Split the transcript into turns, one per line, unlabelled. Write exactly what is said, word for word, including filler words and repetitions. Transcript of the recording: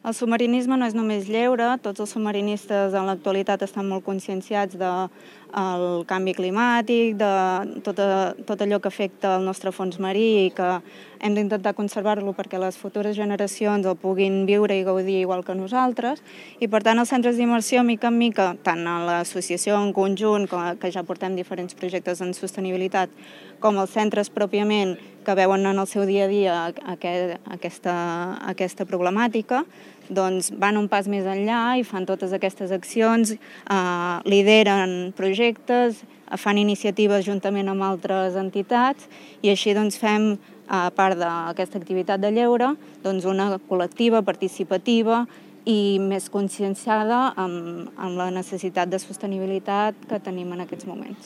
El submarinisme no és només lleure, tots els submarinistes en l'actualitat estan molt conscienciats del canvi climàtic, de tot, tot allò que afecta el nostre fons marí i que hem d'intentar conservar-lo perquè les futures generacions el puguin viure i gaudir igual que nosaltres. I per tant els centres d'immersió, mica en mica, tant a l'associació en conjunt, que ja portem diferents projectes en sostenibilitat, com els centres pròpiament que veuen en el seu dia a dia aquesta, aquesta problemàtica, doncs van un pas més enllà i fan totes aquestes accions, eh, lideren projectes, fan iniciatives juntament amb altres entitats i així doncs fem, a part d'aquesta activitat de lleure, doncs una col·lectiva, participativa i més conscienciada amb, amb la necessitat de sostenibilitat que tenim en aquests moments.